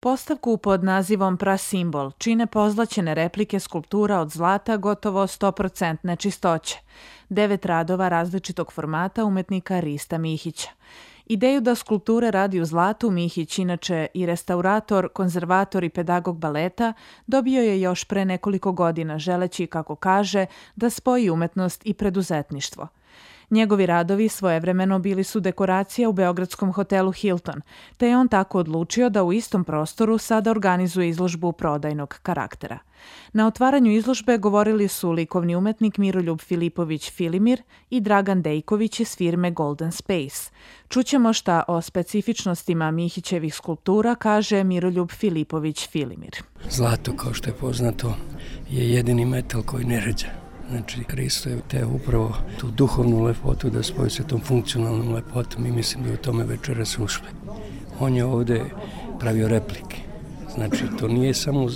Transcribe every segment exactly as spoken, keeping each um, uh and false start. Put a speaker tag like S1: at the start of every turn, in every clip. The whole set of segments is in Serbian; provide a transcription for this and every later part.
S1: Postavku pod nazivom Prasimbol čine pozlaćene replike skulptura od zlata gotovo sto posto čistoće. Devet radova različitog formata umetnika Rista Mihića. Ideju da skulpture radi u zlatu Mihić, inače i restaurator, konzervator i pedagog baleta, dobio je još pre nekoliko godina, želeći, kako kaže, da spoji umetnost i preduzetništvo. Njegovi radovi svojevremeno bili su dekoracija u beogradskom hotelu Hilton, te je on tako odlučio da u istom prostoru sada organizuje izložbu prodajnog karaktera. Na otvaranju izložbe govorili su likovni umetnik Miroljub Filipović Filimir i Dragan Dejković iz firme Golden Space. Čućemo šta o specifičnostima Mihićevih skulptura kaže Miroljub Filipović Filimir.
S2: Zlato, kao što je poznato, je jedini metal koji ne ređa. Znači, Risto je te upravo tu duhovnu lepotu da spoji sa tom funkcionalnom lepotom i mislim da je u tome večeras ušle. On je ovde pravio replike. Znači, to nije samo,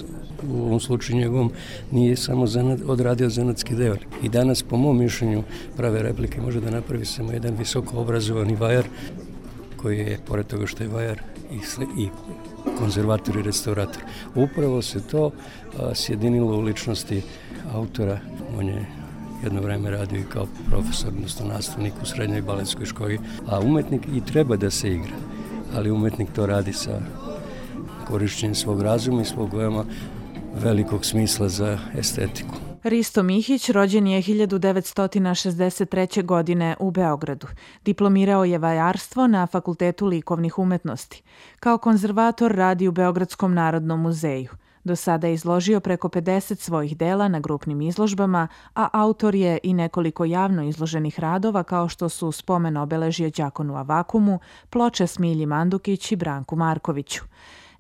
S2: u ovom slučaju njegovom, nije samo zanat, odradio zanatski deo. I danas, po mom mišljenju, prave replike može da napravi samo jedan visoko obrazovani vajar, koji je, pored toga što je vajar, i, i konzervator i restaurator. Upravo se to a, sjedinilo u ličnosti autora. On je jedno vreme radio i kao profesor, odnosno nastavnik u srednjoj baletskoj školi, a umetnik i treba da se igra, ali umetnik to radi sa korišćenjem svog razuma i svog veoma velikog smisla za estetiku.
S1: Risto Mihić rođen je hiljadu devetsto šezdeset treće. godine u Beogradu. Diplomirao je vajarstvo na Fakultetu likovnih umetnosti. Kao konzervator radi u Beogradskom narodnom muzeju. Do sada je izložio preko pedeset svojih dela na grupnim izložbama, a autor je i nekoliko javno izloženih radova kao što su spomen obeležje Đakonu Avakumu, ploče Smilji Mandukić i Branku Markoviću.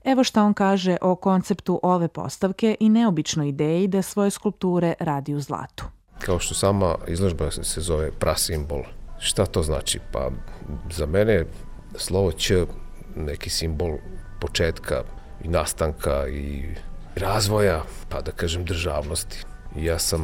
S1: Evo šta on kaže o konceptu ove postavke i neobičnoj ideji da svoje skulpture radi u zlatu.
S3: Kao što sama izložba se zove Prasimbol. Šta to znači? Pa za mene slovo Ć neki simbol početka i nastanka i razvoja, pa da kažem državnosti. Ja sam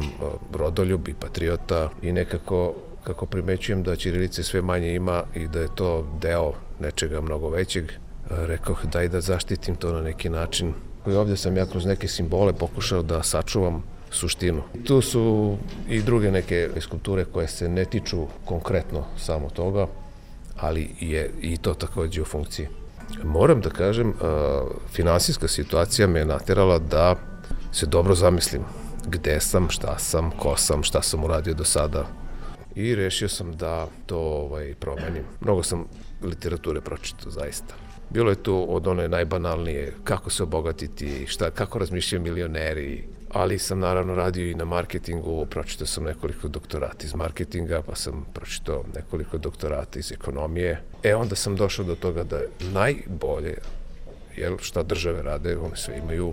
S3: rodoljub i patriota i nekako kako primećujem da ćirilice sve manje ima i da je to deo nečega mnogo većeg, rekao daj da zaštitim to na neki način. I ovdje sam ja kroz neke simbole pokušao da sačuvam suštinu. Tu su i druge neke skulpture koje se ne tiču konkretno samo toga, ali je i to takođe u funkciji. Moram da kažem, finansijska situacija me je naterala da se dobro zamislim gde sam, šta sam, ko sam, šta sam uradio do sada. I rešio sam da to ovaj, promenim. Mnogo sam literature pročitao, zaista. Bilo je tu od one najbanalnije kako se obogatiti, šta, kako razmišljaju milioneri, ali sam naravno radio i na marketingu, pročitao sam nekoliko doktorata iz marketinga, pa sam pročitao nekoliko doktorata iz ekonomije. E onda sam došao do toga da najbolje, jel, šta države rade, one sve imaju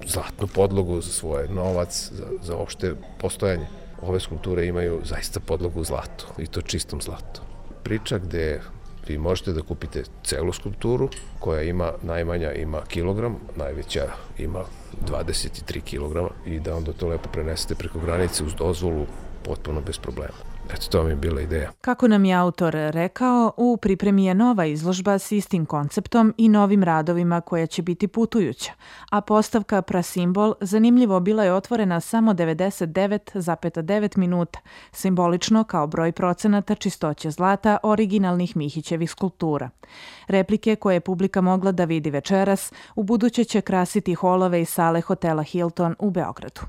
S3: zlatnu podlogu za svoj novac, za, za opšte postojanje. Ove skulpture imaju zaista podlogu u zlatu, i to čistom zlatu. Priča gde vi možete da kupite celu skulpturu koja ima, najmanja ima kilogram, najveća ima dvadeset tri kilograma i da onda to lepo prenesete preko granice uz dozvolu potpuno bez problema. Eto, to mi je bila ideja.
S1: Kako nam je autor rekao, u pripremi je nova izložba s istim konceptom i novim radovima koja će biti putujuća, a postavka Prasimbol zanimljivo bila je otvorena samo devedeset devet zarez devet minuta, simbolično kao broj procenata čistoće zlata originalnih Mihićevih skulptura. Replike koje je publika mogla da vidi večeras, u buduće će krasiti holove i sale hotela Hilton u Beogradu.